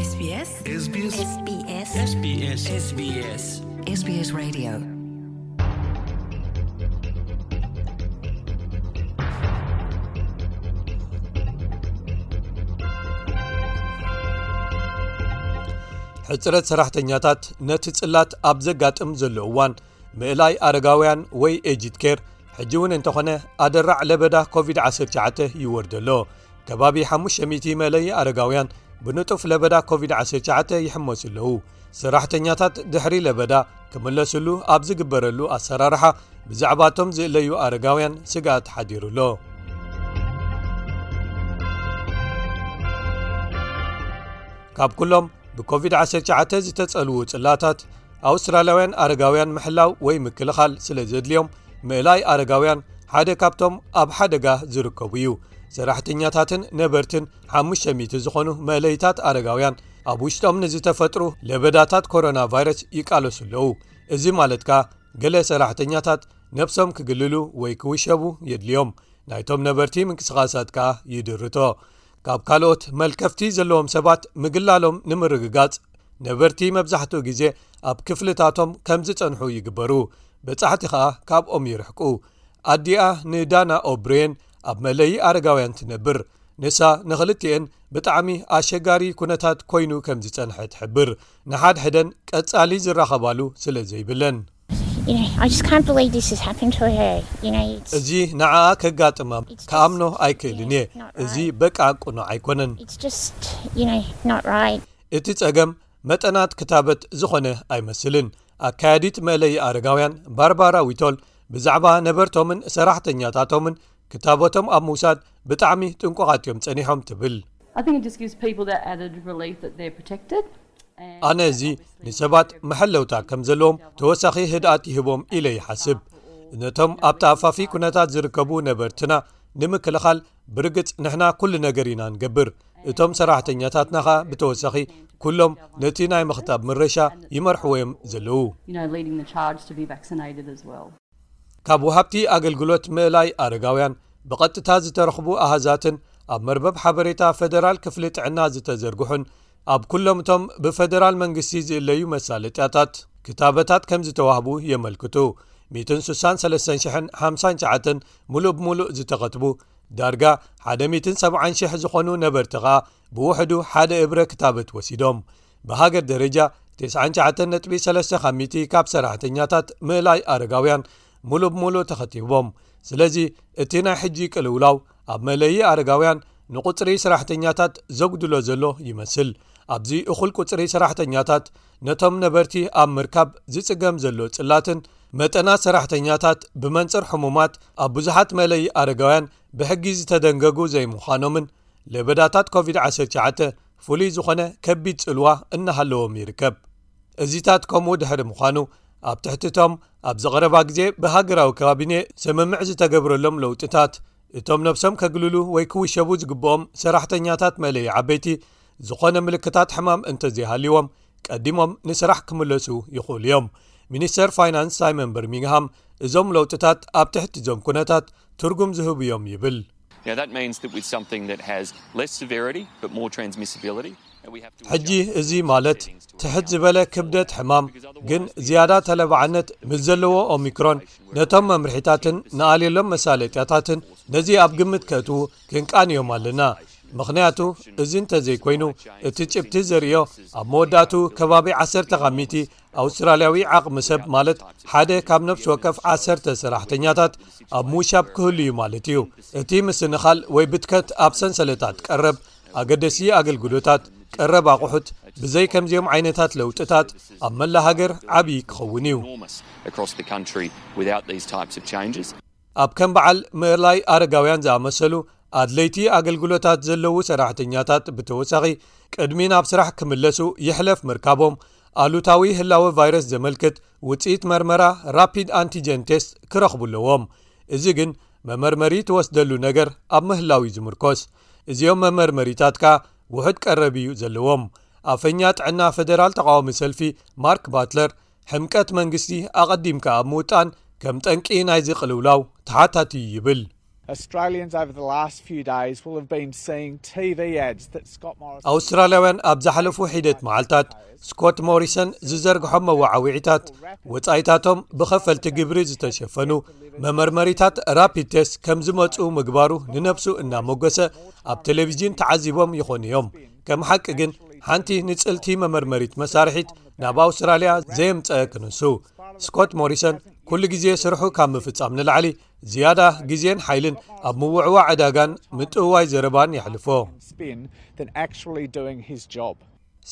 SBS SBS SBS SBS SBS SBS Radio. ሕጽረት ሰራሕተኛታት ነቲ ጽላት ኣብ ዘጋጥም ዘሎ እዋን፣ ምእላይ ኣረጋውያን ወይ ኤጅድ ኬር ሕጂ እውን እንተኾነ ኣደራዕ ለበዳ ኮቪድ ዓሰርተ ትሽዓተ ይወርድ ኣሎ። ከባቢ ሓሙሽተ ሚእቲ መእለዪ ኣረጋውያን ብንጡፍ ለበዳ ኮቪድ ዓሰርተ ትሽዓተ ይሕመሱ ኣለዉ። ሰራሕተኛታት ድሕሪ ለበዳ ክምለስሉ ኣብ ዝግበረሉ ኣሰራርሓ፣ ብዛዕባቶም ዝእለዩ ኣረጋውያን ስግኣት ሓዲሩ ኣሎ። ካብ ኩሎም ብኮቪድ ዓሰርተ ትሽዓተ ዝተጸልዉ ጽላታት፣ ኣውስትራልያውያን ኣረጋውያን ምሕላው ወይ ምክልኻል ስለ ዘድልዮም፣ ምእላይ ኣረጋውያን ሓደ ካብቶም ኣብ ሓደጋ ዝርከቡ እዩ። ሰራሕተኛታትን ነበርትን ሓሙሽተ ሚእቲ ዝኾኑ መእለይታት ኣረጋውያን ኣብ ውሽጦም ንዝተፈጥሩ ለበዳታት ኮሮና ቫይረስ ይቃለሱ ኣለዉ። እዚ ማለት ከኣ፣ ገለ ሰራሕተኛታት ነብሶም ክግልሉ ወይ ክውሸቡ የድልዮም። ናይቶም ነበርቲ ምንቅስቓሳት ከኣ ይድርቶ። ካብ ካልኦት መልከፍቲ ዘለዎም ሰባት ምግላሎም ንምርግጋጽ፣ ነበርቲ መብዛሕትኡ ግዜ ኣብ ክፍልታቶም ከም ዝጸንሑ ይግበሩ። በጻሕቲ ከኣ ካብኦም ይርሕቁ። ኣዲኣ ንዳና ኦብሬን ኣብ መለዪ ኣረጋውያን ትነብር። ንሳ ንኽልቲኤን ብጣዕሚ ኣሸጋሪ ኩነታት ኮይኑ ከም ዝጸንሐ ትሕብር። ንሓድሕደን ቀጻሊ ዝራኸባሉ ስለ ዘይብለን። You know, I just can't believe this has happened to her. You know, it's, እዚ ንዓኣ ከጋጥማ ክኣምኖ ኣይክእልን እየ። እዚ በቃ ቅኑዕ ኣይኮነን። it's just, you know, not right. እቲ ጸገም መጠናት ክታበት ዝኾነ ኣይመስልን። ኣካያዲት መእለዪ ኣረጋውያን ባርባራ ዊቶል ብዛዕባ ነበርቶምን ሰራሕተኛታቶምን ክታበቶም ኣብ ምውሳድ ብጣዕሚ ጥንቁቓት እዮም ጸኒሖም ትብል። I think it just gives people that added relief that they're protected. And ኣነ እዚ ንሰባት መሐለውታ ከም ዘለዎም ተወሳኺ ህድኣት ይህቦም ኢለ ይሓስብ። ነቶም ኣብ ተኣፋፊ ኩነታት ዝርከቡ ነበርትና ንምክልኻል፣ ብርግጽ ንሕና ኩሉ ነገር ኢና ንገብር። እቶም ሰራሕተኛታትና ኸኣ ብተወሳኺ ኩሎም ነቲ ናይ ምኽታብ ምረሻ ይመርሕዎ እዮም ዘለዉ። You know, leading the charge to be vaccinated as well. ካብ ወሃብቲ ኣገልግሎት ምእላይ ኣረጋውያን ብቐጥታ ዝተረኽቡ ኣሃዛትን ኣብ መርበብ ሓበሬታ ፈደራል ክፍሊ ጥዕና ዝተዘርግሑን ኣብ ኩሎም እቶም ብፈደራል መንግስቲ ዝእለዩ መሳለጥያታት ክታበታት ከም ዝተዋህቡ የመልክቱ። ሚእትን ስሳን ሰለስተን ሽሕን ሓምሳን ትሽዓተን ምሉእ ብምሉእ ዝተኸትቡ፣ ዳርጋ ሓደ ሚእትን ሰብዓን ሽሕ ዝኾኑ ነበርቲ ኸኣ ብውሕዱ ሓደ እብረ ክታበት ወሲዶም። ብሃገር ደረጃ፣ ተስዓን ትሽዓተን ነጥቢ ሰለስተ ካብ ሚእቲ ካብ ሰራሕተኛታት ምእላይ ኣረጋውያን ምሉእ ብምሉእ ተኸቲቦም። ስለዚ፣ እቲ ናይ ሕጂ ቅልውላው ኣብ መለዪ ኣረጋውያን ንቁጽሪ ሰራሕተኛታት ዘጉድሎ ዘሎ ይመስል። ኣብዚ እኹል ቁጽሪ ሰራሕተኛታት ነቶም ነበርቲ ኣብ ምርካብ ዝጽገም ዘሎ ጽላትን መጠናት ሰራሕተኛታት ብመንጽር ሕሙማት ኣብ ብዙሓት መለዪ ኣረጋውያን ብሕጊ ዝተደንገጉ ዘይምዃኖምን ለበዳታት ኮቪድ ዓሰርተ ትሽዓተ ፍሉይ ዝኾነ ከቢድ ጽልዋ እናሃለዎም ይርከብ። እዚታት ከምኡ ድሕሪ ምዃኑ፣ ኣብ ትሕቲቶም ኣብዚ ቀረባ ግዜ ብሃገራዊ ካቢኔ ስምምዕ ዝተገብረሎም ለውጥታት፣ እቶም ነብሶም ከግልሉ ወይ ክውሸቡ ዝግብኦም ሰራሕተኛታት መለዪ ዓበይቲ ዝኾነ ምልክታት ሕማም እንተዘይሃልይዎም፣ ቀዲሞም ንስራሕ ክምለሱ ይኽእሉ እዮም። ሚኒስተር ፋይናንስ ሳይመን በርሚንግሃም፣ እዞም ለውጥታት ኣብ ትሕቲ እዞም ኩነታት ትርጉም ዝህቡ እዮም ይብል። Now, that means that with something that has less severity but more transmissibility, that we have to ሕጂ adjust እዚ ማለት ትሕት ዝበለ ክብደት ሕማም ግን ዝያዳ ተለባዕነት ምስ ዘለዎ ኦሚክሮን፣ ነቶም መምርሒታትን ንኣልየሎም መሳለጥያታትን ነዚ ኣብ ግምት ከእትዉ ክንቃንዮም ኣለና። ምኽንያቱ፣ እዚ እንተዘይኮይኑ፣ እቲ ጭብቲ ዘርእዮ ኣብ መወዳእቱ ከባቢ ዓሰርተ ካብ ሚእቲ ኣውስትራልያዊ ዓቕሚ ሰብ፣ ማለት ሓደ ካብ ነፍሲ ወከፍ ዓሰርተ ሰራሕተኛታት ኣብ ምውሻብ ክህሉ እዩ ማለት እዩ። እቲ ምስንኻል ወይ ብትከት ኣብ ሰንሰለታት ቀረብ ኣገደሲ ኣገልግሎታት፣ ቀረብ ኣቑሑት፣ ብዘይ ከምዚኦም ዓይነታት ለውጥታት ኣብ መላ ሃገር ዓብዪ ክኸውን እዩ። enormous across the country without these types of changes. ኣብ ከም በዓል ምእላይ ኣረጋውያን ዝኣመሰሉ ኣድለይቲ ኣገልግሎታት ዘለዉ ሰራሕተኛታት ብተወሳኺ፣ ቅድሚ ናብ ስራሕ ክምለሱ ይሕለፍ ምርካቦም፣ ኣሉታዊ ህላወ ቫይረስ ዘመልክት ውጽኢት መርመራ ራፒድ ኣንቲጀን ቴስት ክረኽቡ ኣለዎም። እዚ ግን መመርመሪ ትወስደሉ ነገር ኣብ ምህላው እዩ ዝምርኮስ። እዚኦም መመርመሪታት ከኣ ውሑድ ቀረብ እዩ ዘለዎም። ኣፈኛ ጥዕና ፈደራል ተቓዋሚ ሰልፊ ማርክ ባትለር፣ ሕምቀት መንግስቲ ኣቐዲምካ ኣብ ምውጣን ከም ጠንቂ ናይዚ ቅልውላው ተሓታቲ እዩ ይብል። Australians over the last few days will have been seeing T V ads that Scott Morrison. ኣውስትራልያውያን ኣብ ዝሓለፉ ሒደት መዓልታት ስኮት ሞሪሰን ዝዘርግሖም መወዓዊዒታት፣ ወጻኢታቶም ብኸፈልቲ ግብሪ ዝተሸፈኑ መመርመሪታት ራፒድ ቴስት ከም ዝመጹ ምግባሩ ንነብሱ እናሞገሰ ኣብ ቴሌቪዥን ተዓዚቦም ይኾኑ እዮም። ከም ሓቂ ግን፣ ሓንቲ ንጽልቲ መመርመሪት መሳርሒት ናብ ኣውስትራልያ ዘየምጸአ ክንሱ፣ ስኮት ሞሪሰን ኩሉ ግዜ ስርሑ ካብ ምፍጻም ንላዕሊ ዝያዳ ግዜን ሓይልን ኣብ ምውዕዋዕ ዕዳጋን ምጥውዋይ ዘረባን የሕልፎ። Spin than actually doing his job.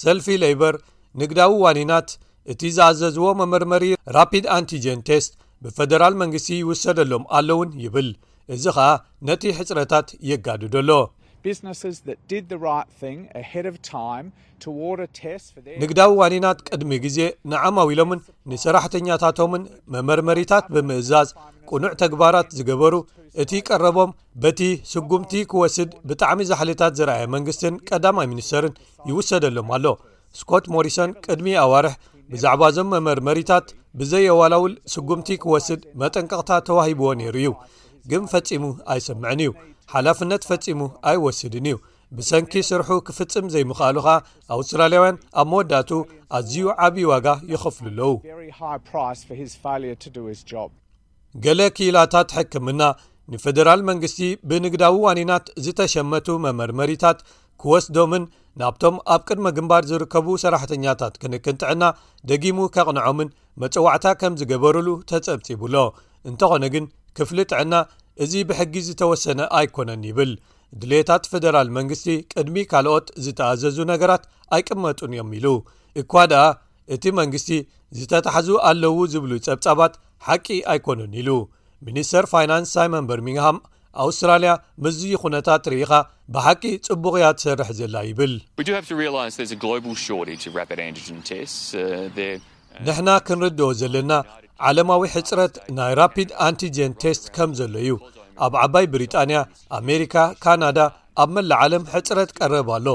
ሰልፊ ሌይበር ንግዳዊ ዋኒናት እቲ ዝኣዘዝዎ መመርመሪ ራፒድ ኣንቲጀን ቴስት ብፈደራል መንግስቲ ይውሰደሎም ኣለውን ይብል። እዚ ኸኣ ነቲ ሕጽረታት የጋድዶ ኣሎ። Businesses that did the right thing ahead of time to order tests for their ንግዳዊ ዋኒናት ቅድሚ ግዜ ንዓማዊሎምን ንሰራሕተኛታቶምን መመርመሪታት ብምእዛዝ ቅኑዕ ተግባራት ዝገበሩ፣ እቲ ቀረቦም በቲ ስጉምቲ ክወስድ ብጣዕሚ ዛሕልታት ዝረኣየ መንግስትን ቀዳማይ ሚኒስተርን ይውሰደሎም ኣሎ። ስኮት ሞሪሰን ቅድሚ ኣዋርሕ ብዛዕባ እዞም መመርመሪታት ብዘየዋላውል ስጉምቲ ክወስድ መጠንቀቕታ ተዋሂብዎ ነይሩ እዩ። ግን ፈጺሙ ኣይሰምዕን እዩ። ሓላፍነት ፈጺሙ ኣይወስድን እዩ። ብሰንኪ ስርሑ ክፍጽም ዘይምኽኣሉ ኸኣ ኣውስትራልያውያን ኣብ መወዳእቱ ኣዝዩ ዓብዪ ዋጋ ይኸፍሉ ኣለዉ። Very high price for his failure to do his job. ገለ ክኢላታት ሕክምና ንፈደራል መንግስቲ ብንግዳዊ ዋኒናት ዝተሸመቱ መመርመሪታት ክወስዶምን ናብቶም ኣብ ቅድመ ግንባር ዝርከቡ ሰራሕተኛታት ክንክን ጥዕና ደጊሙ ከቕንዖምን መጸዋዕታ ከም ዝገበሩሉ ተጸብጺቡ ኣሎ። እንተኾነ ግን ክፍሊ ጥዕና እዚ ብሕጊ ዝተወሰነ ኣይኮነን ይብል። ድሌታት ፈደራል መንግስቲ ቅድሚ ካልኦት ዝተኣዘዙ ነገራት ኣይቅመጡን እዮም ኢሉ። እኳ ደኣ እቲ መንግስቲ ዝተታሕዙ ኣለዉ ዝብሉ ጸብጻባት ሓቂ ኣይኮኑን ኢሉ። ሚኒስተር ፋይናንስ ሳይመን በርሚንግሃም ኣውስትራልያ ምስዚ ኩነታት ርኢኻ ብሓቂ ጽቡቕ እያ ትሰርሕ ዘላ ይብል። We do have to realise there's a global shortage of rapid antigen tests. Uh, they're ንሕና ክንርድኦ ዘለና ዓለማዊ ሕጽረት ናይ ራፒድ ኣንቲጀን ቴስት ከም ዘሎ እዩ። ኣብ ዓባይ ብሪጣንያ፣ ኣሜሪካ፣ ካናዳ፣ ኣብ መላእ ዓለም ሕጽረት ቀረብ ኣሎ።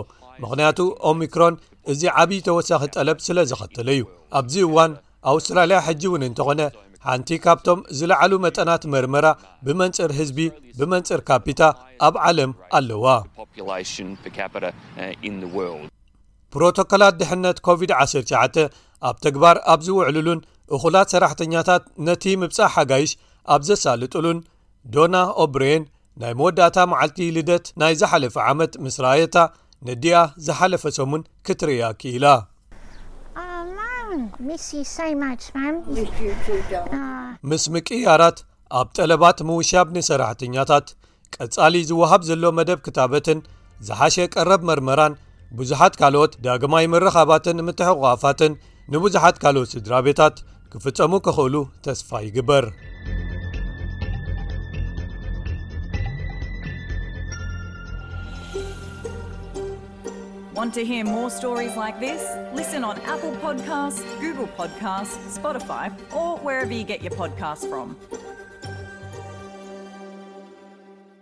ምኽንያቱ ኦሚክሮን እዚ ዓብዪ ተወሳኺ ጠለብ ስለ ዘኸተለ እዩ። ኣብዚ እዋን ኣውስትራልያ ሕጂ እውን እንተኾነ ሓንቲ ካብቶም ዝለዓሉ መጠናት መርመራ ብመንጽር ህዝቢ፣ ብመንጽር ካፒታ ኣብ ዓለም ኣለዋ። Population per capita uh, in the world. ፕሮቶኮላት ድሕነት ኮቪድ ዓሰርተ ትሽዓተ ኣብ ተግባር ኣብ ዝውዕሉሉን እኹላት ሰራሕተኛታት ነቲ ምብጻሕ ሓጋይሽ ኣብ ዘሳልጡሉን ዶና ኦብሬን ናይ መወዳእታ መዓልቲ ልደት ናይ ዝሓለፈ ዓመት ምስ ረኣየታ ነዲኣ ዝሓለፈ ሰሙን ክትርእያ ክኢላ። Oh, Mum, miss you so much, Mum. Miss you too, darling. Ah, ምስ ምቅያራት ኣብ ጠለባት ምውሻብ ንሰራሕተኛታት ቀጻሊ ዝወሃብ ዘሎ መደብ ክታበትን ዝሓሸ ቀረብ መርመራን ብዙሓት ካልኦት ዳግማይ ምርኻባትን ምትሕቑቓፋትን ንብዙሓት ካልኦት ስድራ ቤታት ክፍጸሙ ክኽእሉ ተስፋ ይግበር። Want to hear more stories like this? Listen on Apple Podcasts, Google Podcasts, Spotify, or wherever you get your podcasts from.